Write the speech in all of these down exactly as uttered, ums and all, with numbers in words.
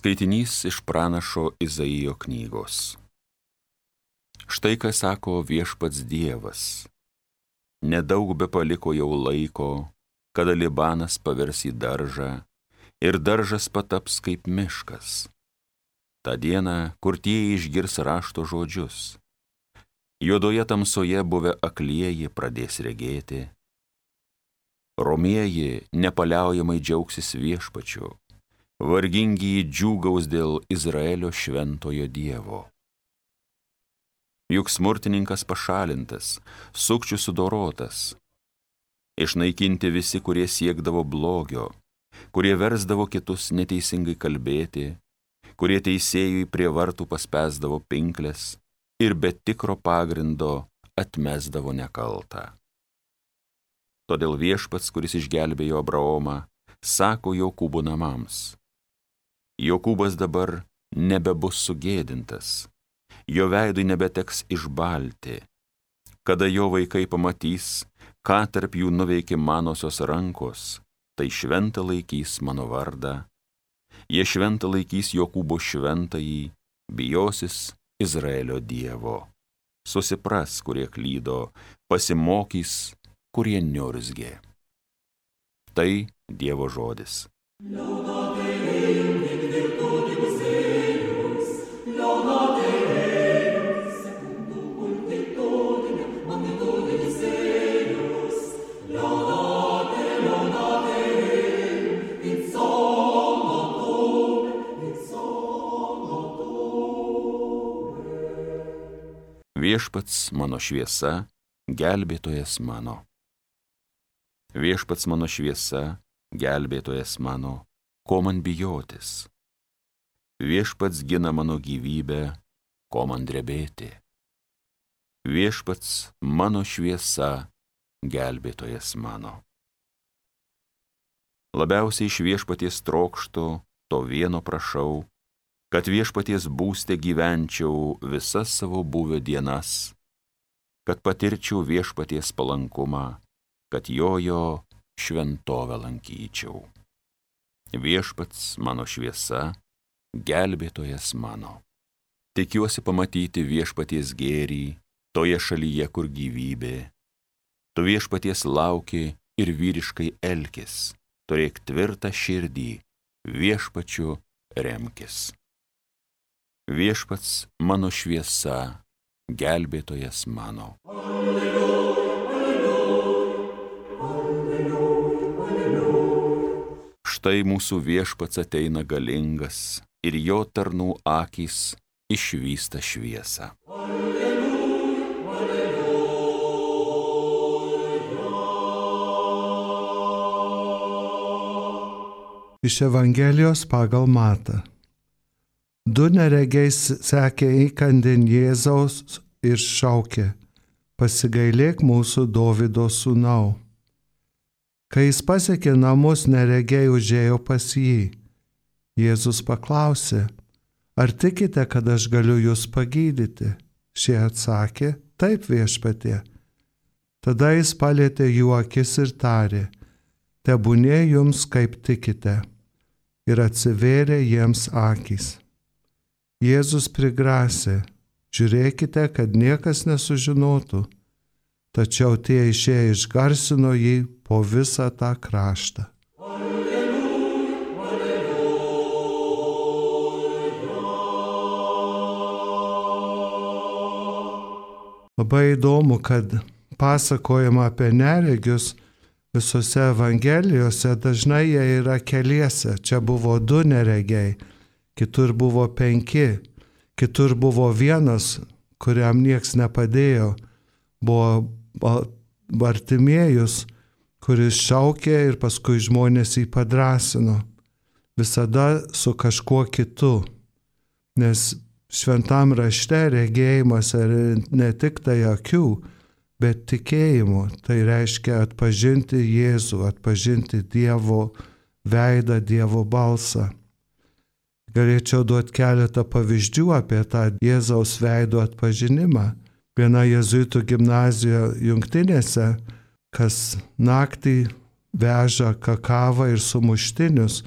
Skaitinys iš pranašo Izaijo knygos. Štai ką sako viešpats Dievas. Nedaug be paliko jau laiko, kada Libanas pavers į daržą ir daržas pataps kaip miškas. Ta diena, kur tie išgirs rašto žodžius. Juodoje tamsoje buvę aklieji pradės regėti. Romieji nepaliaujamai džiaugsis viešpačiu. Vargingi džiūgaus dėl Izraelio šventojo Dievo. Juk smurtininkas pašalintas, sukčių sudorotas. Išnaikinti visi, kurie siekdavo blogio, kurie versdavo kitus neteisingai kalbėti, kurie teisėjui prie vartų paspęsdavo pinkles ir be tikro pagrindo atmesdavo nekaltą. Todėl viešpats, kuris išgelbėjo Abraomą, sako Jokūbo namams: Jokūbas dabar nebebus sugėdintas, jo veidui nebeteks išbalti. Kada jo vaikai pamatys, ką tarp jų nuveikė manosios rankos, tai šventą laikys mano vardą. Jie šventą laikys Jokūbo šventąjį, bijosis Izraelio Dievo. Susipras, kurie klydo, pasimokys, kurie niurzgė. Tai Dievo žodis. Viešpats mano šviesa, gelbėtojas mano. Viešpats mano šviesa, gelbėtojas mano, ko man bijotis? Viešpats gina mano gyvybę, ko man drebėti? Viešpats mano šviesa, gelbėtojas mano. Labiausiai iš viešpaties trokštu, to vieno prašau, kad viešpaties būste gyvenčiau visas savo buvę dienas, kad patirčiau viešpaties palankumą, kad jojo šventovę lankyčiau. Viešpats mano šviesa, gelbėtojas mano. Tikiuosi pamatyti viešpaties gėrį toje šalyje, kur gyvybė. Tu viešpaties lauki ir vyriškai elkis, turėk tvirtą širdį, viešpačiu remkis. Viešpats mano šviesa, gelbėtojas mano. Alleluja, alleluja, alleluja. Štai mūsų viešpats ateina galingas ir jo tarnų akys išvysta šviesą. Alleluja, alleluja. Iš Evangelijos pagal Matą. Du neregiai sekė įkandin Jėzaus ir šaukė: pasigailėk mūsų Dovydo sūnau. Kai jis pasiekė namus, neregiai užėjo pas jį. Jėzus paklausė: ar tikite, kad aš galiu jūs pagydyti? Šie atsakė: taip, viešpatie. Tada jis palietė jų akis ir tarė: tebūnie jums kaip tikite. Ir atsivėrė jiems akys. Jėzus prigrasė: žiūrėkite, kad niekas nesužinotų. Tačiau tie išėję išgarsino jį po visą tą kraštą. Alleluja, alleluja. Labai įdomu, kad pasakojama apie neregius visose Evangelijose dažnai jie yra keliese. Čia buvo du neregiai. Kitur buvo penki, kitur buvo vienas, kuriam nieks nepadėjo. Buvo Bartimiejus, kuris šaukė ir paskui žmonės jį padrąsino. Visada su kažkuo kitu, nes šventam rašte regėjimas yra ne tik tai akių, bet tikėjimu. Tai reiškia atpažinti Jėzų, atpažinti Dievo veidą, Dievo balsą. Galėčiau duoti keletą pavyzdžių apie tą Jėzaus veido atpažinimą. Viena jėzuitų gimnazija Jungtinėse, kas naktį veža kakavą ir sumuštinius,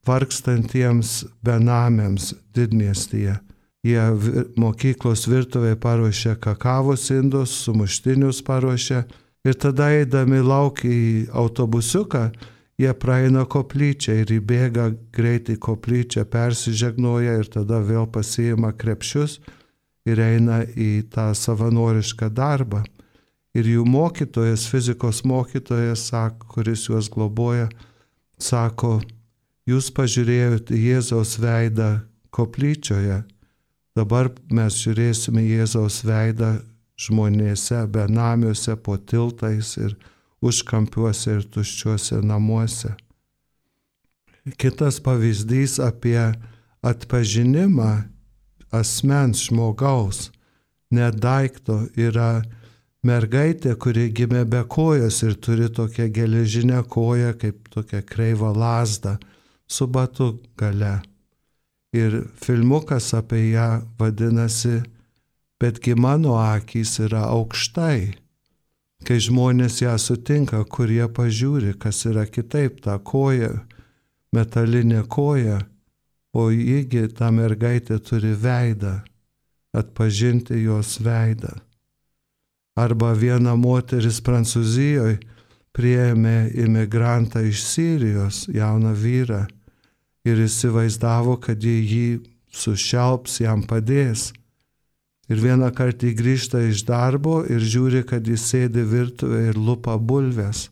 vargstantiems benamiams didmiestyje. Jie mokyklos virtuvėje paruošia kakavos indus, sumuštinius paruošia ir tada eidami lauk į autobusiuką, jie praeina koplyčią ir įbėga greitai koplyčią, persižegnoja ir tada vėl pasiima krepšius ir eina į tą savanorišką darbą. Ir jų mokytojas, fizikos mokytojas, sako, kuris juos globoja, sako, jūs pažiūrėjote Jėzaus veidą koplyčioje, dabar mes žiūrėsime Jėzaus veidą žmonėse, benamiuose, po tiltais ir užkampiuose ir tuščiuose namuose. Kitas pavyzdys apie atpažinimą asmens žmogaus, ne daikto, yra mergaitė, kuri gimė be kojos ir turi tokią geležinę koją, kaip tokią kreivą lazdą su batu gale. Ir filmukas apie ją vadinasi "Betgi mano akys yra aukštai". Kai žmonės ją sutinka, kur jie pažiūri, kas yra kitaip, ta koja, metalinė koja, o jįgi ta mergaitė turi veidą, atpažinti jos veidą. Arba viena moteris Prancūzijoje priėmė imigrantą iš Sirijos, jauną vyrą, ir įsivaizdavo, kad jie jį sušelps, jam padės. Ir vieną kartą jį grįžta iš darbo ir žiūri, kad jis sėdi virtuvėje ir lupa bulves,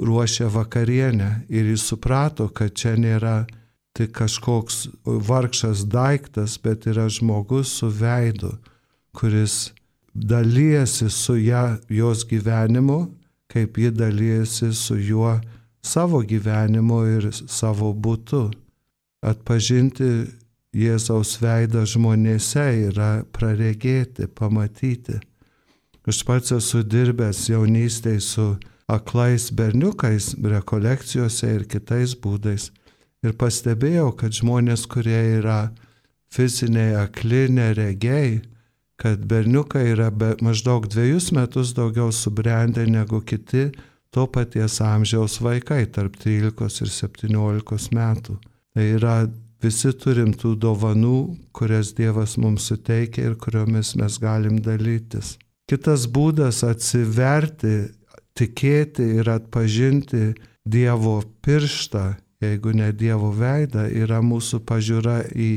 ruošia vakarienę. Ir jis suprato, kad čia nėra tik kažkoks vargšas daiktas, bet yra žmogus su veidu, kuris dalyjasi su ją, jos gyvenimu, kaip ji dalyjasi su juo savo gyvenimu ir savo būtu. Atpažinti Jėzaus veidą žmonėse yra praregėti, pamatyti. Aš pats esu dirbęs jaunystėje su aklais berniukais, rekolekcijose ir kitais būdais. Ir pastebėjau, kad žmonės, kurie yra fiziniai akli, neregiai, kad berniukai yra be, maždaug dviejus metus daugiau subrendę negu kiti to paties amžiaus vaikai, tarp trylikos ir septyniolikos metų. Tai yra, visi turim tų dovanų, kurias Dievas mums suteikia ir kuriomis mes galim dalytis. Kitas būdas atsiverti, tikėti ir atpažinti Dievo pirštą, jeigu ne Dievo veidą, yra mūsų pažiūra į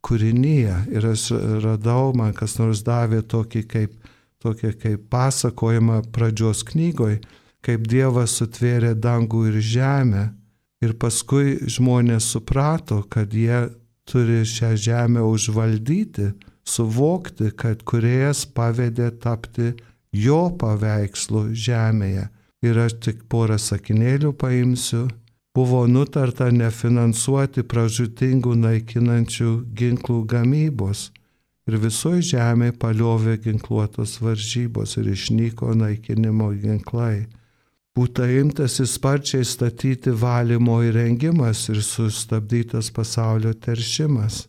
kūrinyje. Ir aš radau, man kas nors davė tokį kaip, tokį kaip pasakojimą pradžios knygoj, kaip Dievas sutvėrė dangų ir žemę. Ir paskui žmonės suprato, kad jie turi šią žemę užvaldyti, suvokti, kad kūrėjas pavedė tapti jo paveikslu žemėje. Ir aš tik porą sakinėlių paimsiu. Buvo nutarta nefinansuoti pražūtingų naikinančių ginklų gamybos. Ir visoje žemėje paliovė ginkluotos varžybos ir išnyko naikinimo ginklai. Būta imtasi sparčiai statyti valymo įrengimas ir sustabdytas pasaulio teršimas.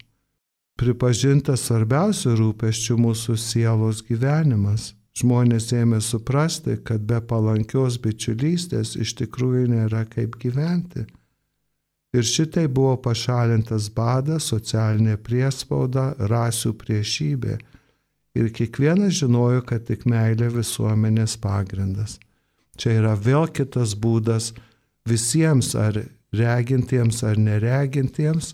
Pripažintas svarbiausių rūpesčių mūsų sielos gyvenimas. Žmonės ėmė suprasti, kad be palankios bičiulystės iš tikrųjų nėra kaip gyventi. Ir šitai buvo pašalintas badas, socialinė priespauda, rasių priešybė. Ir kiekvienas žinojo, kad tik meilė visuomenės pagrindas. Čia yra vėl kitas būdas visiems, ar regintiems, ar neregintiems,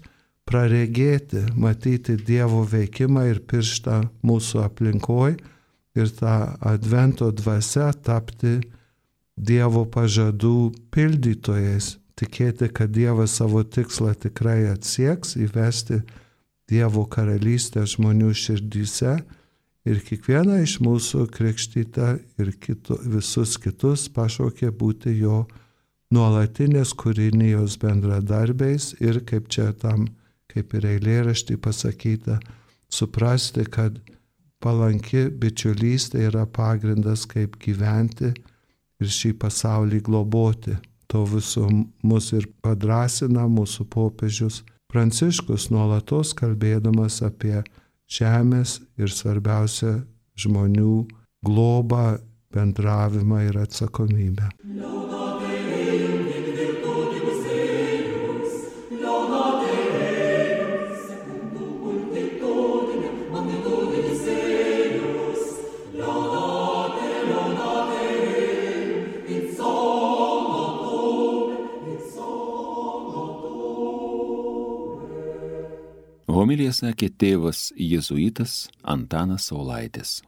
praregėti, matyti Dievo veikimą ir pirštą mūsų aplinkoj ir tą advento dvasia tapti Dievo pažadų pildytojais, tikėti, kad Dievas savo tikslą tikrai atsieks, įvesti Dievo karalystę žmonių širdyse. Ir kiekvieną iš mūsų krikštytą ir kitu, visus kitus pašaukė būti jo nuolatinės kūrinijos bendradarbiais ir, kaip čia tam, kaip ir eilėraštį pasakyta, suprasti, kad palanki bičiulystė yra pagrindas, kaip gyventi ir šį pasaulį globoti. To viso mus ir padrasina mūsų popiežius Pranciškus, nuolatos kalbėdamas apie žemės ir svarbiausia žmonių globą, bendravimą ir atsakomybę. Homiliją sakė tėvas jėzuitas Antanas Saulaitis.